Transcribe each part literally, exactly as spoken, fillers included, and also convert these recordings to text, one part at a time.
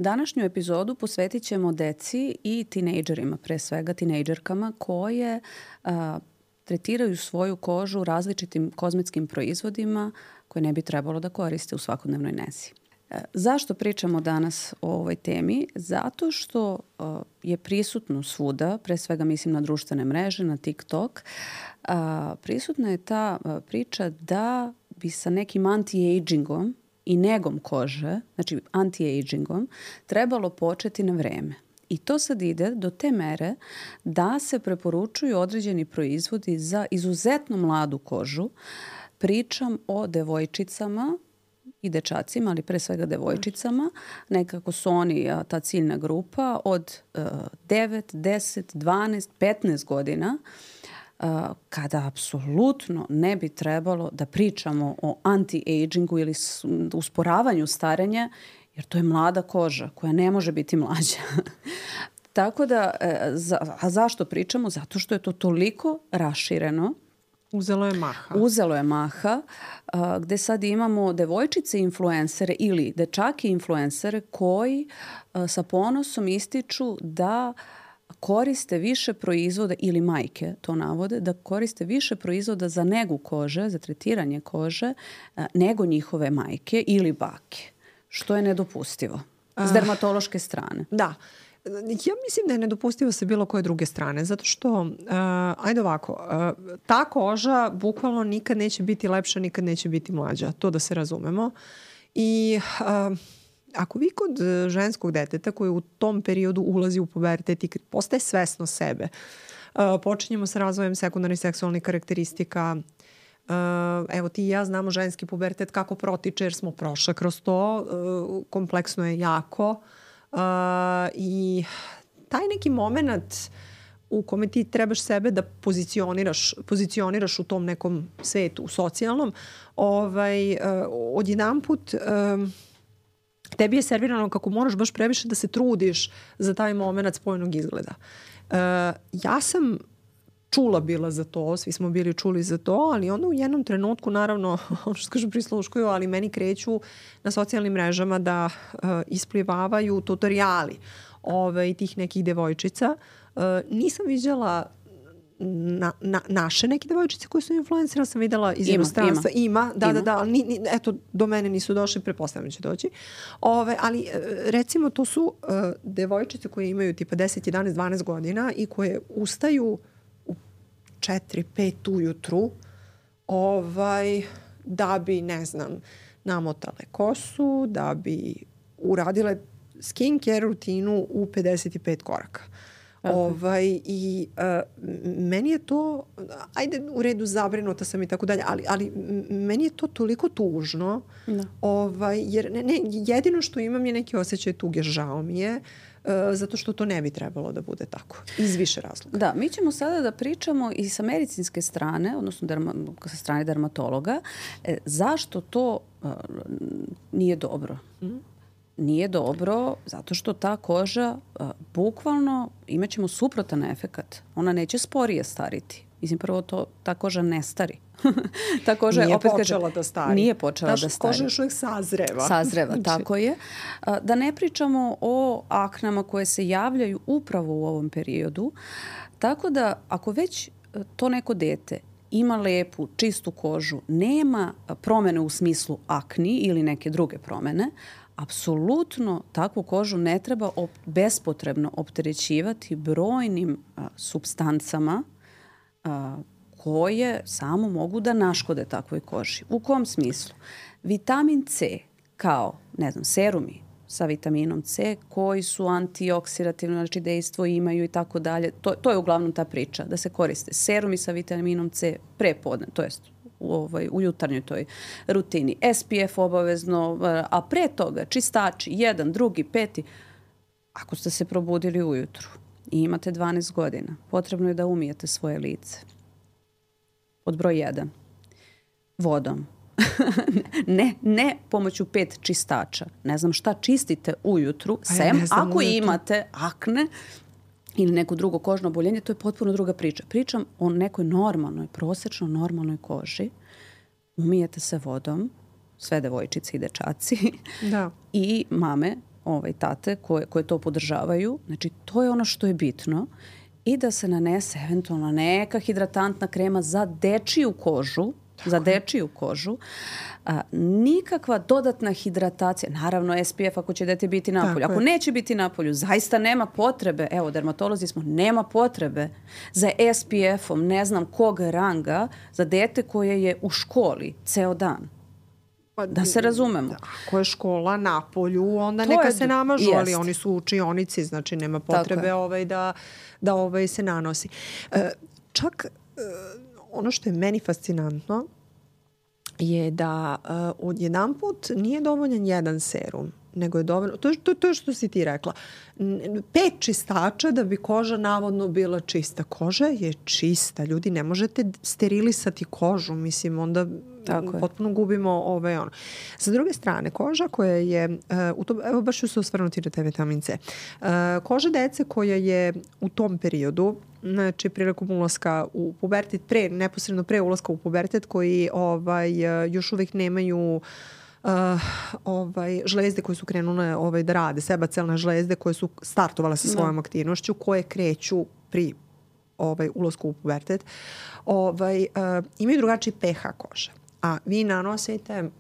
Današnju epizodu posvetit ćemo deci i tinejdžerima, pre svega tinejdžerkama, koje a, tretiraju svoju kožu različitim kozmetskim proizvodima koje ne bi trebalo da koriste u svakodnevnoj nezi. E, zašto pričamo danas o ovoj temi? Zato što a, je prisutno svuda, pre svega mislim na društvene mreže, na TikTok, a, prisutna je ta a, priča da bi sa nekim anti-agingom i negom kože, znači anti-agingom, trebalo početi na vreme. I to sad ide do te mere da se preporučuju određeni proizvodi za izuzetno mladu kožu. Pričam o devojčicama i dečacima, ali pre svega devojčicama. Nekako su oni ta ciljna grupa od uh, devet, deset, dvanaest, petnaest godina, Uh, kada apsolutno ne bi trebalo da pričamo o anti-agingu ili usporavanju starenja, jer to je mlada koža koja ne može biti mlađa. Tako da, za, a zašto pričamo? Zato što je to toliko rašireno. Uzelo je maha. Uzelo je maha, uh, gde sad imamo devojčice influencere ili dečake influencere koji uh, sa ponosom ističu da koriste više proizvoda, ili majke to navode, da koriste više proizvoda za negu kože, za tretiranje kože, nego njihove majke ili bake, što je nedopustivo s dermatološke strane. Da. Ja mislim da je nedopustivo sa bilo koje druge strane, zato što, uh, ajde ovako, uh, ta koža bukvalno nikad neće biti lepša, nikad neće biti mlađa, to da se razumemo. I uh, ako vi kod ženskog deteta koji u tom periodu ulazi u pubertet i postaje svesno sebe, uh, počinjemo sa razvojem sekundarnih seksualnih karakteristika. Uh, evo ti i ja znamo ženski pubertet kako protiče jer smo prošle kroz to. Uh, kompleksno je jako. Uh, I taj neki moment u kome ti trebaš sebe da pozicioniraš, pozicioniraš u tom nekom svetu, u socijalnom, ovaj, uh, odjedanput um, tebi je servirano kako moraš baš previše da se trudiš za taj moment spoljnog izgleda. Uh, ja sam čula bila za to, svi smo bili čuli za to, ali onda u jednom trenutku, naravno, ono što kažu prisluškuju, ali meni kreću na socijalnim mrežama da uh, isplivavaju tutoriali ove, tih nekih devojčica. Uh, nisam viđala Na, na, naše neke devojčice koje su influencera, sam videla iz inostranstva. Ima, ima. Da, ima. da, da, ali ni, ni, eto, do mene nisu došli, pretpostavljam će doći. Ove, ali recimo to su uh, devojčice koje imaju tipa deset, jedanaest, dvanaest godina i koje ustaju u četiri, pet ujutru ovaj, da bi, ne znam, namotale kosu, da bi uradile skincare rutinu u pedeset pet koraka. Okay. Ovaj, i uh, meni je to, ajde u redu zabrinuta sam i tako dalje, ali, ali meni je to toliko tužno, da. Ovaj, jer ne, ne, jedino što imam je neki osjećaj tuge, žao mi je, uh, zato što to ne bi trebalo da bude tako, iz više razloga. Da, mi ćemo sada da pričamo i sa medicinske strane, odnosno derma, sa strane dermatologa, e, zašto to uh, nije dobro. Mm. Nije dobro zato što ta koža a, bukvalno imat ćemo suprotan efekat. Ona neće sporije stariti. Mislim, prvo to, ta koža ne stari. ta koža nije opet počela kaže, da stari. Nije počela Taš, da stari. Koža još uvijek sazreva. Sazreva, znači. Tako je. A, da ne pričamo o aknama koje se javljaju upravo u ovom periodu. Tako da ako već to neko dete ima lepu, čistu kožu, nema promene u smislu akni ili neke druge promene, apsolutno takvu kožu ne treba op- bespotrebno opterećivati brojnim a, supstancama a, koje samo mogu da naškode takvoj koži. U kom smislu? Vitamin C kao, ne znam, serumi sa vitaminom C koji su antioksidativno, znači dejstvo imaju i tako dalje. To, to je uglavnom ta priča, da se koriste serumi sa vitaminom C prepodne, to jest u, ovaj, u jutarnjoj toj rutini. S P F obavezno, a pre toga čistači, jedan, drugi, peti. Ako ste se probudili ujutru i imate dvanaest godina, potrebno je da umijete svoje lice. Pod broj jedan. Vodom. ne, ne pomoću pet čistača. Ne znam šta čistite ujutru, ja sem ako ujutru. Imate akne ili neko drugo kožno oboljenje, to je potpuno druga priča. Pričam o nekoj normalnoj, prosečno normalnoj koži. Umijete se vodom, sve devojčice i dečaci. Da. I mame, ovaj, tate koje, koje to podržavaju. Znači, to je ono što je bitno. I da se nanese eventualno neka hidratantna krema za dečiju kožu, za dečiju kožu. A, nikakva dodatna hidratacija. Naravno, S P F ako će dete biti napolju. Ako neće biti napolju, zaista nema potrebe. Evo, dermatolozi smo, nema potrebe za S P F-om, ne znam kog ranga, za dete koje je u školi ceo dan. Da se razumemo. Ako je škola na polju, onda to neka je, se namažu, ali oni su u učionici, znači nema potrebe ovaj da, da ovaj se nanosi. E, čak e, ono što je meni fascinantno je da uh, odjedanput nije dovoljan jedan serum, nego je dovoljno, to je to, to što si ti rekla, pet čistača da bi koža navodno bila čista. Koža je čista, ljudi, ne možete sterilisati kožu, mislim, onda potpuno gubimo ovaj ono. Sa druge strane, koža koja je, uh, u tom, evo baš ću se osvrnuti na te vitamin C, uh, koža dece koja je u tom periodu, znači prilikom ulaska u pubertet, pre, neposredno pre ulaska u pubertet, koji ovaj, još uvijek nemaju uh, ovaj, žlezde koje su krenule ovaj, da rade, sebacelne žlezde koje su startovale sa svojom no. aktivnošću, koje kreću pri ovaj, ulasku u pubertet, ovaj, uh, imaju drugačiji pH kože. A vi nanosite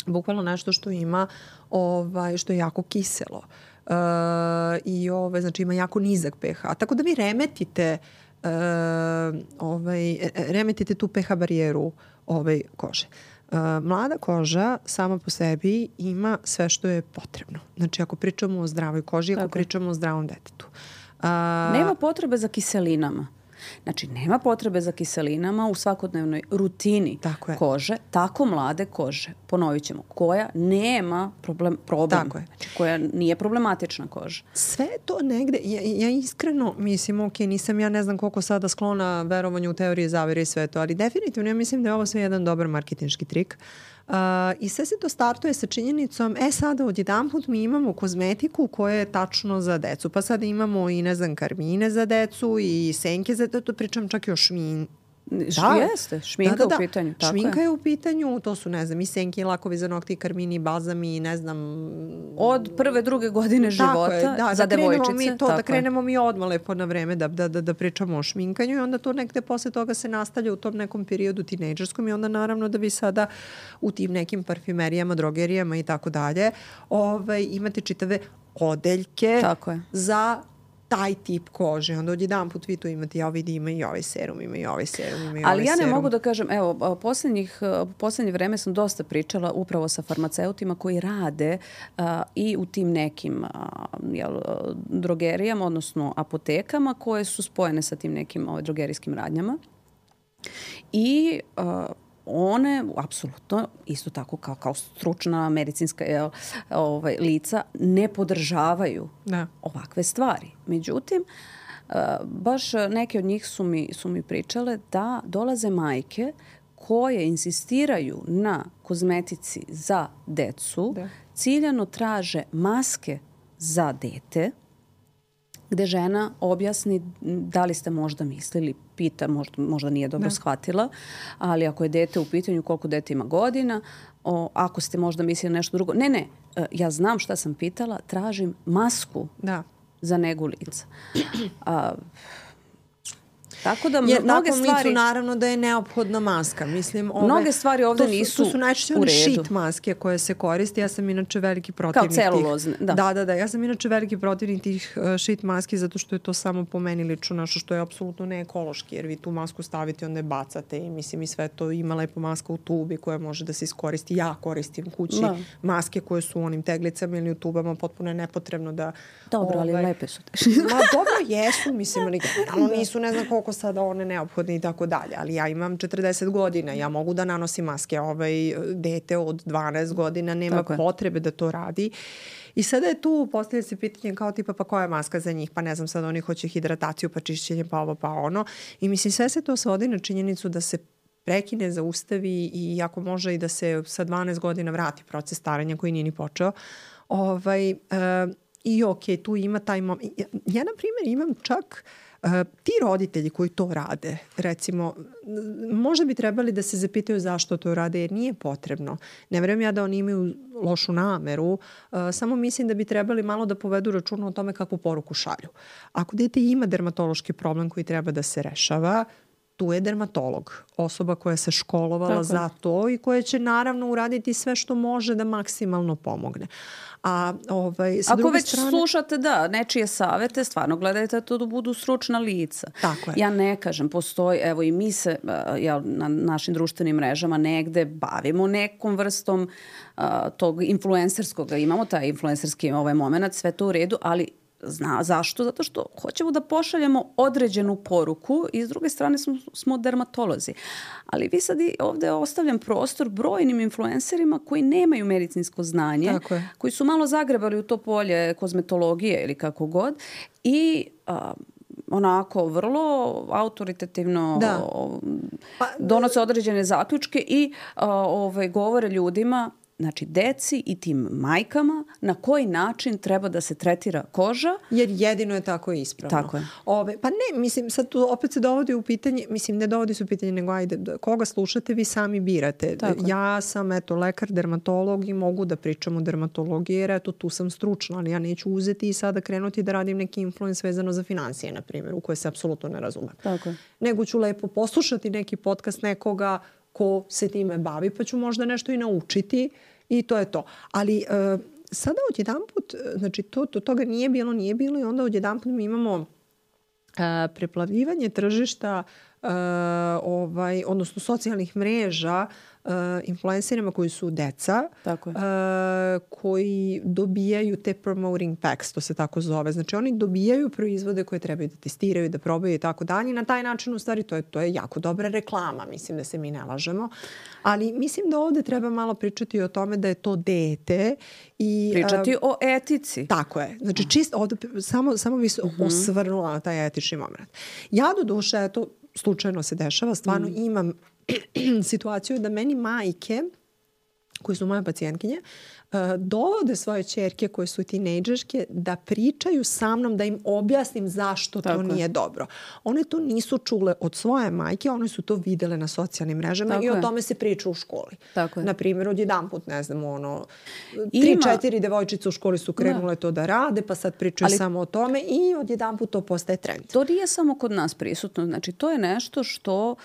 bukvalno nešto što ima, ovaj, što je jako kiselo. Uh, i ove, znači ima jako nizak pH. Tako da vi remetite uh, ovaj, remetite tu pH barijeru ovaj, kože. Uh, mlada koža sama po sebi ima sve što je potrebno. Znači ako pričamo o zdravoj koži, ako Tako. pričamo o zdravom detetu. Uh, Nema potrebe za kiselinama. Znači, nema potrebe za kiselinama u svakodnevnoj rutini tako kože, tako mlade kože, ponovit ćemo, koja nema problem, problem znači, koja nije problematična koža. Sve to negde, ja, ja iskreno mislim, ok, nisam ja ne znam koliko sada sklona verovanju u teorije zavere i sve to, ali definitivno ja mislim da je ovo sve jedan dobar marketinški trik. Uh, I sve se to startuje sa činjenicom, e sada odjedanput mi imamo kozmetiku koja je tačno za decu. Pa sada imamo i ne znam karmine za decu i senke za decu, pričam čak i o šmin. Da, jeste, šminka da, da, da. u pitanju. Tako šminka je. je u pitanju, to su ne znam i senke i lakovi za nokti, karmini, balzami, ne znam. Od prve, druge godine života je, da, za da devojčice. Mi to, da krenemo mi odmah lepo na vreme da, da, da, da pričamo o šminkanju i onda to nekde posle toga se nastavlja u tom nekom periodu tinejdžerskom i onda naravno da vi sada u tim nekim parfimerijama, drogerijama i tako dalje ovaj, imate čitave odeljke za taj tip kože. Onda odjedan put vi tu imate, ja vidi, ima i ovaj serum, ima i ovaj serum, ima i ovaj Ali ja ne serum. mogu da kažem, evo, posljednjih, posljednje vreme sam dosta pričala upravo sa farmaceutima koji rade uh, i u tim nekim uh, jel, drogerijama, odnosno apotekama koje su spojene sa tim nekim ovaj, drogerijskim radnjama. I uh, one, apsolutno, isto tako kao, kao stručna medicinska jel, ovaj, lica, ne podržavaju da. ovakve stvari. Međutim, uh, baš neke od njih su mi, su mi pričale da dolaze majke koje insistiraju na kozmetici za decu, da. ciljano traže maske za dete, gde žena objasni da li ste možda mislili, pita, možda, možda nije dobro da. shvatila, ali ako je dete u pitanju, koliko dete ima godina, o, ako ste možda mislili nešto drugo. Ne, ne, ja znam šta sam pitala, tražim masku da. za negu lica. A, Tako da Jer mnoge stvari licu naravno da je neophodna maska. Mislim, ove, mnoge stvari ovde to su, nisu to su najčešće one šit maske koje se koriste. Ja sam inače veliki protivnik kao celulozne, tih. Da. da, da, da. Ja sam inače veliki protivnik tih uh, šit maski zato što je to samo po meni lično nešto što je apsolutno ne ekološki. Jer vi tu masku stavite, onda je bacate i mislim i sve to ima lepo maska u tubi koja može da se iskoristi. Ja koristim kući da. maske koje su u onim teglicama ili u tubama, potpuno je nepotrebno da... Dobro, ovaj, ali lepe su. Ma dobro jesu, mislim, ali generalno nisu, ne znam koliko sada one neophodne i tako dalje, ali ja imam četrdeset godina, ja mogu da nanosim maske, ovaj dete od dvanaest godina nema tako potrebe je. da to radi. I sada je tu postavlja se pitanje kao tipa pa koja je maska za njih, pa ne znam sad oni hoće hidrataciju, pa čišćenje, pa ovo, pa ono. I mislim sve se to svodi na činjenicu da se prekine, zaustavi i ako može i da se sa dvanaest godina vrati proces starenja koji nije ni počeo. Ovaj, uh, I ok, tu ima taj moment. Ja, ja na primjer imam čak ti roditelji koji to rade, recimo, možda bi trebali da se zapitaju zašto to rade, jer nije potrebno. Ne verujem ja da oni imaju lošu nameru, samo mislim da bi trebali malo da povedu računa o tome kakvu poruku šalju. Ako dete ima dermatološki problem koji treba da se rešava, tu je dermatolog, osoba koja se školovala Tako. za to i koja će naravno uraditi sve što može da maksimalno pomogne. A, ovaj, sa Ako već strane... slušate da, nečije savete, stvarno gledajte to da budu stručna lica. Tako je. Ja ne kažem, postoji, evo i mi se ja, na našim društvenim mrežama negde bavimo nekom vrstom a, tog influencerskog, imamo taj influencerski ovaj moment, sve to u redu, ali Zna, zašto? Zato što hoćemo da pošaljemo određenu poruku i s druge strane smo, smo dermatolozi. Ali vi sad i ovde ostavljam prostor brojnim influencerima koji nemaju medicinsko znanje, koji su malo zagrebali u to polje kozmetologije ili kako god i a, onako vrlo autoritativno da. pa, donose određene zaključke i a, ovaj, govore ljudima, znači deci i tim majkama, na koji način treba da se tretira koža. Jer jedino je tako ispravno. Tako je. Ove, pa ne, mislim, sad tu opet se dovodi u pitanje, mislim, ne dovodi se u pitanje, nego ajde, koga slušate, vi sami birate. Tako ja sam, eto, lekar, dermatolog i mogu da pričam o dermatologiji, jer eto, tu sam stručna, ali ja neću uzeti i sada krenuti da radim neki influence vezano za financije, na primjer, u koje se apsolutno ne razumem. Tako je. Nego ću lepo poslušati neki podcast nekoga ko se time bavi, pa ću možda nešto i naučiti i to je to. Ali uh, sada odjedanput, znači to, to, toga nije bilo, nije bilo i onda odjedanput mi imamo uh, preplavljivanje tržišta, uh, ovaj, odnosno socijalnih mreža, Uh, influencerima koji su deca, tako je. Uh, koji dobijaju te promoting packs, to se tako zove. Znači oni dobijaju proizvode koje trebaju da testiraju, da probaju i tako dalje. Na taj način u stvari to je, to je jako dobra reklama, mislim da se mi ne lažemo. Ali mislim da ovde treba malo pričati o tome da je to dete i pričati uh, o etici. Tako je. Znači čisto ovde samo, samo bi se uh-huh. osvrnula na taj etični moment. Ja do duše, eto, slučajno se dešava, stvarno mm. imam situaciju da meni majke, koji su moje pacijentkinje, dovode svoje ćerke koje su tinejdžerke da pričaju sa mnom, da im objasnim zašto Tako to nije je. dobro. One to nisu čule od svoje majke, one su to videle na socijalnim mrežama Tako i o je. tome se priča u školi. Tako na primjer, odjedanput, ne znam, ono, tri, Ima... četiri devojčice u školi su krenule da. to da rade, pa sad pričaju Ali... samo o tome i odjedanput to postaje trend. To nije samo kod nas prisutno. Znači, to je nešto što, uh,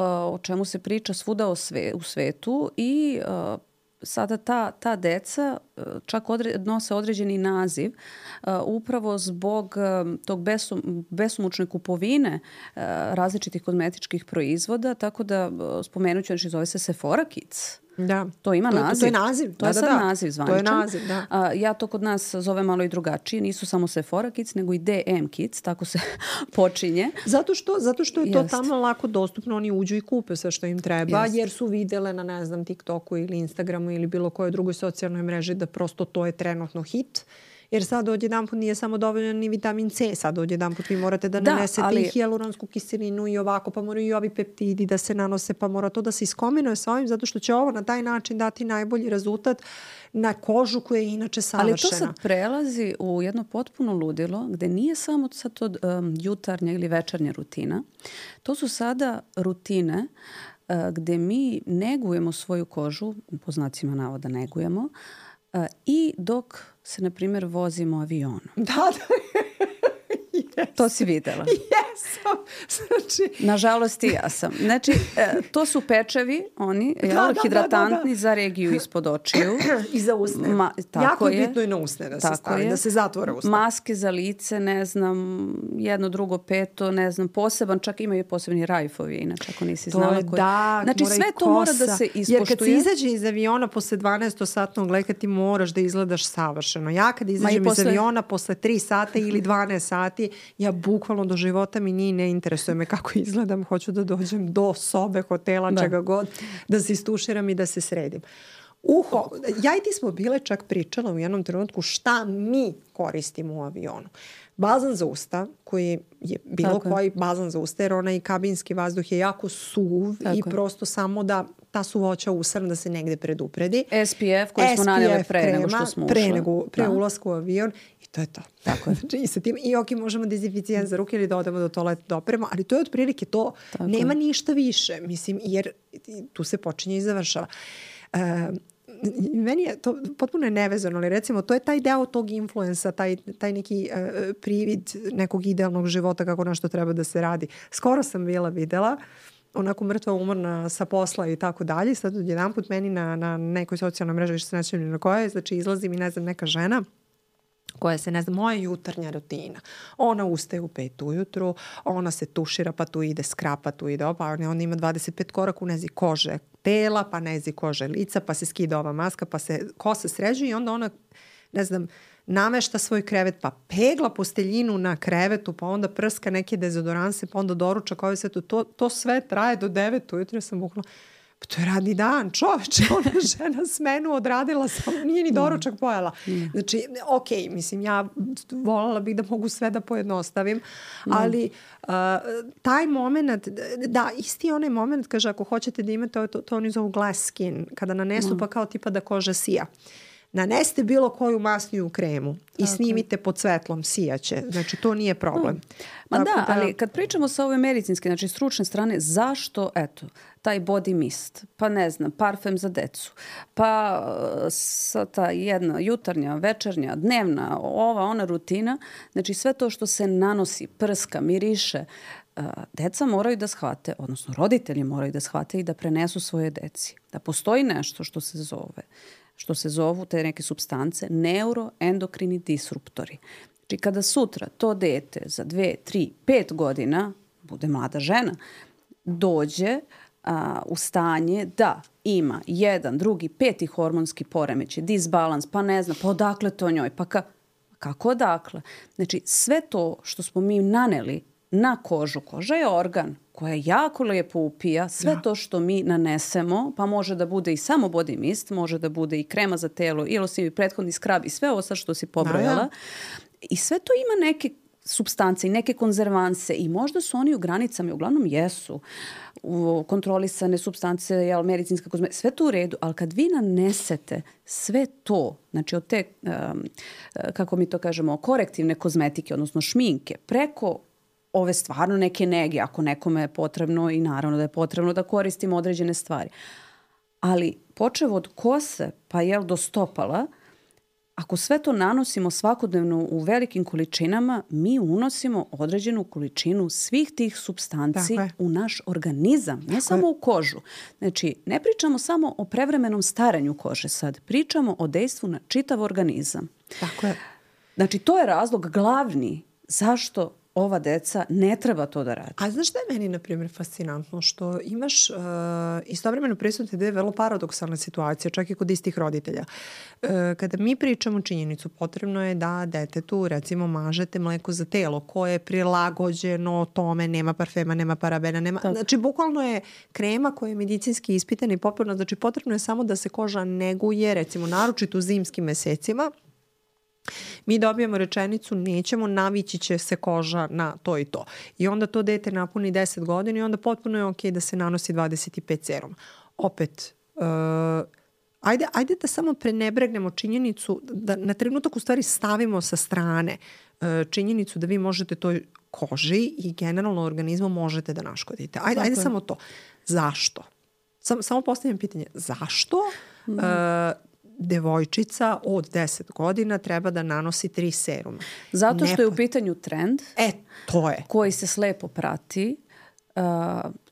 o čemu se priča svuda o sve, u svetu i uh, sada ta, ta deca čak odre, nose određeni naziv uh, upravo zbog uh, tog besum, besumučne kupovine uh, različitih kozmetičkih proizvoda, tako da uh, spomenut ću, znači zove se Sephora Kids. Da. To ima to, naziv. To je naziv. To je da, sad da, da. naziv zvaničan. To je naziv, da. A, ja to kod nas zove malo i drugačije. Nisu samo Sephora Kids, nego i D M Kids. Tako se počinje. Zato što, zato što je to Jest. tamo lako dostupno. Oni uđu i kupe sve što im treba, Jest. jer su videle na, ne znam, TikToku ili Instagramu ili bilo kojoj drugoj socijalnoj mreži da prosto to je trenutno hit. Jer sad odjedanput nije samo dovoljan ni vitamin C, sad odjedanput vi morate da, da nanesete ali... i hijaluronsku kiselinu i ovako, pa moraju i ovi peptidi da se nanose, pa mora to da se iskombinuje sa ovim, zato što će ovo na taj način dati najbolji rezultat na kožu koja je inače savršena. Ali to sad prelazi u jedno potpuno ludilo, gde nije samo sad to um, jutarnja ili večernja rutina. To su sada rutine uh, gde mi negujemo svoju kožu, po znacima navoda negujemo, uh, i dok se, na primjer, vozimo avionom. Da, da. Yes. To si videla. Jesam. Znači... Nažalost i ja sam. Znači, e, to su pečevi, oni, da, jel, da, hidratantni da, da. za regiju ispod očiju. I za usne. Ma, tako jako je bitno i na usne da se stavi, da se zatvore usne. Maske za lice, ne znam, jedno, drugo, peto, ne znam, poseban, čak imaju i posebni rajfovi, inače, ako nisi to znala. Je koji... da, znači, sve to mora da se ispoštuje. Jer kad se izađe iz aviona posle dvanaestosatnog leka, ti moraš da izgledaš savršeno. Ja kad izađem posle... iz aviona posle tri sata ili dvanaest sati, ja bukvalno do života mi nije, ne interesuje me kako izgledam, hoću da dođem do sobe, hotela, da. čega god, da se istuširam i da se sredim. Uho, ja i ti smo bile čak pričala u jednom trenutku šta mi koristimo u avionu. Bazan za usta, koji je bilo Tako koji je. bazan za usta, jer onaj kabinski vazduh je jako suv Tako i je. prosto samo da ta su voća usrana da se negde predupredi. S P F koji smo naneli pre krema, nego što smo ušli. Pre, nego, pre ulasku u avion i to je to. Tako je. Znači, i sa tim, i ok, možemo dezinficijent za ruke ili da odemo do toaleta da operemo, ali to je otprilike to. Tako. Nema ništa više, mislim, jer tu se počinje i završava. Uh, meni je to potpuno je nevezano, ali recimo to je taj deo tog influensa, taj, taj neki uh, privid nekog idealnog života kako nešto treba da se radi. Skoro sam bila videla onako mrtva umorna sa posla i tako dalje. Sad jedan put meni na, na nekoj socijalnoj mreži, više se nećem ni na kojoj, znači izlazi mi, ne znam, neka žena koja se, ne znam, moja jutarnja rutina. Ona ustaje u pet ujutru, ona se tušira, pa tu ide skrapa, tu ide opa, ona ima dvadeset pet koraka u nezi kože tela, pa nezi kože lica, pa se skida ova maska, pa se kosa sređuje i onda ona, ne znam, namešta svoj krevet, pa pegla posteljinu na krevetu, pa onda prska neke dezodoranse, pa onda doručak, ovaj sve to, to, to sve traje do devet ujutru. Ja sam bukla, pa to je radni dan, čoveče, ona žena smenu odradila, samo nije ni doručak pojela. Znači, ok, mislim, ja voljela bih da mogu sve da pojednostavim, ali uh, taj moment, da, isti onaj moment, kaže, ako hoćete da imate, to, to oni zovu glass skin, kada nanesu, pa kao tipa da koža sija. Nanesite bilo koju masniju kremu i snimite pod svetlom, sijaće. Znači, to nije problem. Ma da, da, ali kad pričamo sa ove medicinske, znači stručne strane, zašto, eto, taj body mist, pa ne znam, parfem za decu, pa sa ta jedna jutarnja, večernja, dnevna, ova, ona rutina, znači sve to što se nanosi, prska, miriše, deca moraju da shvate, odnosno roditelji moraju da shvate i da prenesu svoje deci. Da postoji nešto što se zove što se zovu te neke supstance neuroendokrini disruptori. Znači kada sutra to dete za dve, tri, pet godina, bude mlada žena, dođe a, u stanje da ima jedan, drugi, peti hormonski poremećaj, disbalans, pa ne znam, pa odakle to njoj, pa ka, kako odakle? Znači sve to što smo mi naneli na kožu, koža je organ koja jako lijepo upija sve to što mi nanesemo, pa može da bude i samo body mist, može da bude i krema za telo, i losim i prethodni skrab i sve ovo sad što si pobrojala. Da, da. I sve to ima neke supstance i neke konzervanse i možda su oni u granicama, uglavnom jesu, u kontrolisane supstance, jel, medicinska kozmetika, sve to u redu, ali kad vi nanesete sve to, znači od te, um, kako mi to kažemo, korektivne kozmetike, odnosno šminke, preko ove stvarno neke nege, ako nekome je potrebno i naravno da je potrebno da koristimo određene stvari. Ali počev od kose pa jel do stopala, ako sve to nanosimo svakodnevno u velikim količinama, mi unosimo određenu količinu svih tih supstanci u naš organizam, ne Tako samo je. u kožu. Znači, ne pričamo samo o prevremenom staranju kože sad, pričamo o dejstvu na čitav organizam. Tako je. Znači, to je razlog glavni zašto ova deca ne treba to da radi. A znaš šta je meni, na primjer, fascinantno? Što imaš uh, istovremeno prisutne da je vrlo paradoksalna situacija, čak i kod istih roditelja. Uh, kada mi pričamo činjenicu, potrebno je da detetu, recimo, mažete mleko za telo koje je prilagođeno tome, nema parfema, nema parabena, nema... Tako. Znači, bukvalno je krema koja je medicinski ispitana i popularna. Znači, potrebno je samo da se koža neguje, recimo, naročito u zimskim mesecima. Mi dobijemo rečenicu, nećemo, navići će se koža na to i to. I onda to dete napuni deset godina i onda potpuno je okej da se nanosi dvadeset pet serum. Opet, uh, ajde, ajde da samo prenebregnemo činjenicu, da na trenutak u stvari stavimo sa strane uh, činjenicu da vi možete toj koži i generalno organizmu možete da naškodite. Ajde, ajde samo to. Zašto? Sam, samo postavljam pitanje. Zašto? Mm. Uh, devojčica od deset godina treba da nanosi tri seruma. Zato što ne... je u pitanju trend. E, to je. Koji se slepo prati. Uh,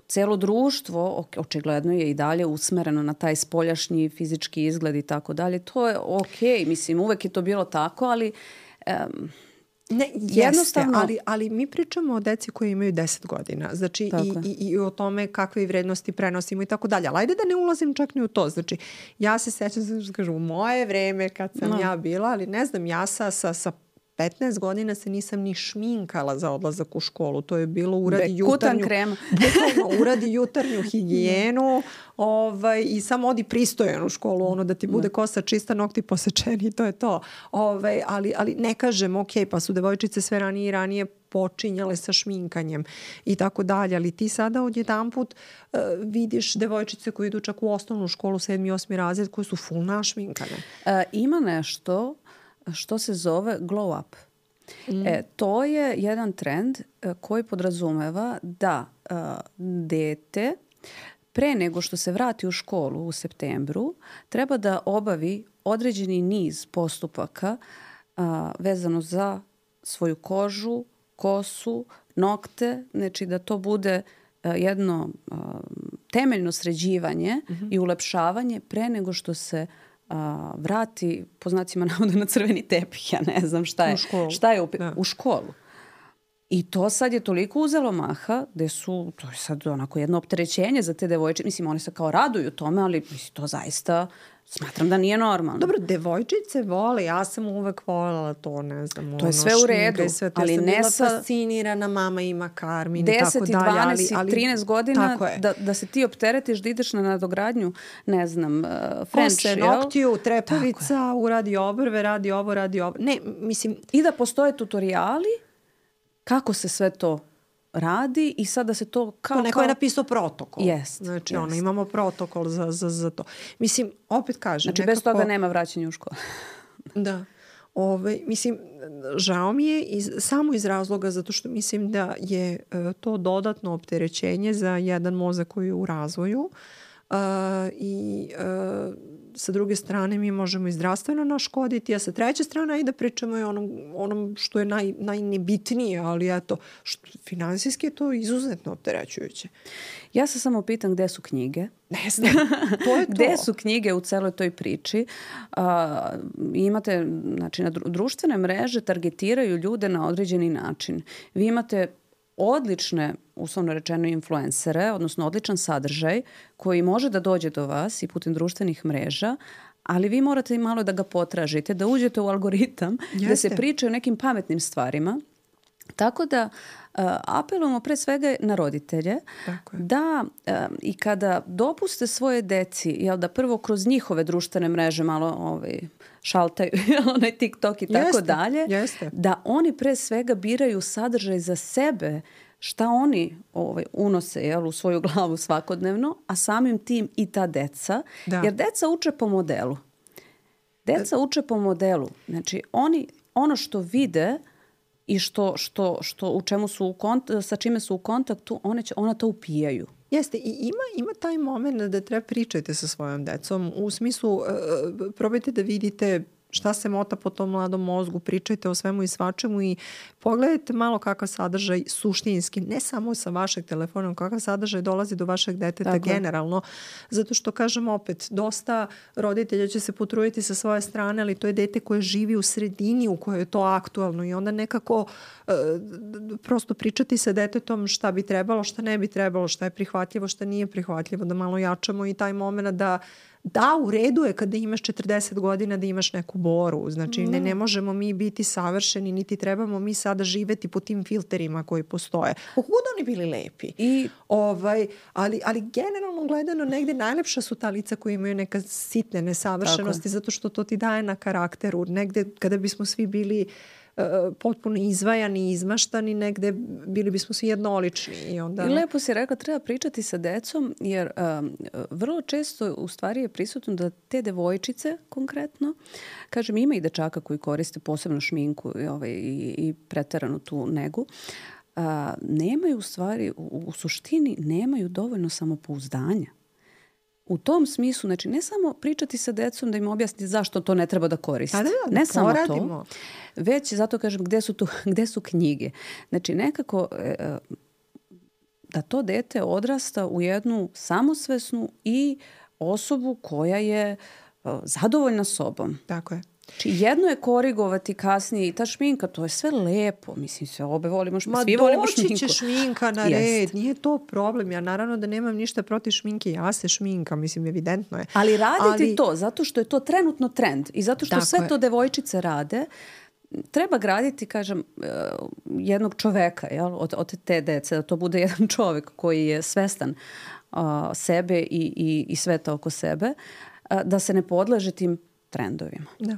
celo društvo očigledno je i dalje usmereno na taj spoljašnji fizički izgled i tako dalje. To je okej. Mislim, uvek je to bilo tako, ali... Um, Ne, jeste, ali, ali mi pričamo o deci koji imaju deset godina. Znači i, i, i o tome kakve vrednosti prenosimo i tako dalje. Ali ajde da ne ulazim čak ni u to. Znači, ja se sećam, znači, kažu, u moje vreme kad sam no. ja bila, ali ne znam, ja sa, sa, sa petnaest godina se nisam ni šminkala za odlazak u školu. To je bilo uradi jutarnju, uradi jutarnju higijenu ovaj, i samo odi pristojan u školu, ono da ti bude kosa čista, nokti posečeni i to je to. Ovaj, ali, ali ne kažem, ok, pa su devojčice sve ranije i ranije počinjale sa šminkanjem i tako dalje. Ali ti sada odjedanput uh, vidiš devojčice koje idu čak u osnovnu školu, sedmi, osmi razred, koje su full našminkane. E, ima nešto što se zove glow up. Mm. E, to je jedan trend e, koji podrazumeva da e, dete pre nego što se vrati u školu u septembru treba da obavi određeni niz postupaka a, vezano za svoju kožu, kosu, nokte, znači da to bude a, jedno a, temeljno sređivanje mm-hmm. i ulepšavanje pre nego što se a, vrati, po znacima navoda, na crveni tepih, ja ne znam šta je. U školu. Šta je u, u školu. I to sad je toliko uzelo maha gde su, to je sad onako jedno opterećenje za te devojčice. Mislim, one se kao raduju tome, ali mislim, to zaista smatram da nije normalno. Dobro, devojčice vole, ja sam uvek voljela to, ne znam. To je sve u redu, sve to, ali ja sam ne bila sa fascinirana, mama ima karmin i tako deset, dalje. dvanaest, ali, ali, trinaest godina da, da se ti opteretiš, da ideš na nadogradnju, ne znam, uh, French, kose, noktiju, trepavica, uradi obrve, radi ovo, radi ovo. Ne, mislim... I da postoje tutoriali kako se sve to radi i sada se to kao... To neko kao... je napisao protokol. Jest. Znači, jest. ono, imamo protokol za, za, za to. Mislim, opet kažem... Znači, nekako... bez toga nema vraćanja u školu. Da. Ove, mislim, žao mi je iz, samo iz razloga zato što mislim da je uh, to dodatno opterećenje za jedan mozak koji je u razvoju uh, i uh, sa druge strane mi možemo i zdravstveno naškoditi, a sa treće strane i da pričamo i onom, onom što je naj, najnebitnije, ali eto, što, finansijski je to izuzetno opterećujuće. Ja se samo pitam gde su knjige. Ne znam, to je to. Gde su knjige u celoj toj priči? A, imate, znači, na društvene mreže targetiraju ljude na određeni način. Vi imate odlične, uslovno rečeno, influencere, odnosno odličan sadržaj koji može da dođe do vas i putem društvenih mreža, ali vi morate i malo da ga potražite, da uđete u algoritam, Jeste. da se priča o nekim pametnim stvarima. Tako da uh, apelujemo pre svega na roditelje da uh, i kada dopuste svoje deci, jel, da prvo kroz njihove društvene mreže malo ovaj, šaltaju onaj TikTok i tako jeste, dalje, jeste. da oni pre svega biraju sadržaj za sebe, šta oni ovaj, unose, jel, u svoju glavu svakodnevno, a samim tim i ta deca. Da. Jer deca uče po modelu. Deca uče po modelu. Znači, oni ono što vide i što, što, što u čemu su u kont, sa čime su u kontaktu, one će, ona to upijaju. Jeste, i ima, ima taj moment da treba pričajte sa svojom decom. U smislu, uh, probajte da vidite šta se mota po tom mladom mozgu, pričajte o svemu i svačemu i pogledajte malo kakav sadržaj suštinski, ne samo sa vašeg telefona, kakav sadržaj dolazi do vašeg deteta tako generalno. Zato što, kažem opet, dosta roditelja će se potruditi sa svoje strane, ali to je dete koje živi u sredini u kojoj je to aktualno i onda nekako uh, prosto pričati sa detetom šta bi trebalo, šta ne bi trebalo, šta je prihvatljivo, šta nije prihvatljivo, da malo jačamo i taj moment da da, u redu je kada imaš četrdeset godina da imaš neku boru. Znači, ne, ne možemo mi biti savršeni, niti trebamo mi sada živeti po tim filterima koji postoje. Koliko oni bili lepi. I, ovaj, ali, ali generalno gledano negde najlepša su ta lica koji imaju neka sitne nesavršenosti, zato što to ti daje na karakteru. Negde kada bismo svi bili uh, potpuno izvajani i izmaštani, negde bili bismo svi jednolični. I, onda... I lepo si rekla, treba pričati sa decom, jer um, vrlo često u stvari je prisutno da te devojčice konkretno, kažem, ima i dečaka koji koriste posebno šminku i, ovaj, i, i preteranu tu negu, uh, nemaju u stvari, u, u suštini nemaju dovoljno samopouzdanja. U tom smislu, znači ne samo pričati sa decom da im objasniti zašto to ne treba da koriste. Da, da, da, ne samo poradimo. To, već zato kažem gde su, tu, gde su knjige. Znači nekako e, da to dete odrasta u jednu samosvesnu i osobu koja je e, zadovoljna sobom. Tako je. Znači, jedno je korigovati kasnije i ta šminka, to je sve lepo. Mislim, sve obe volimo šminku. Ma svi volimo doći šminku. će šminka na red, nije to problem. Ja naravno da nemam ništa protiv šminke, ja se šminka, mislim, evidentno je. Ali raditi Ali... to, zato što je to trenutno trend i zato što Tako sve je. to devojčice rade, treba graditi, kažem, jednog čoveka, jel, od, od te dece, da to bude jedan čovek koji je svestan uh, sebe i, i, i sveta oko sebe, uh, da se ne podleže tim trendovima. Da.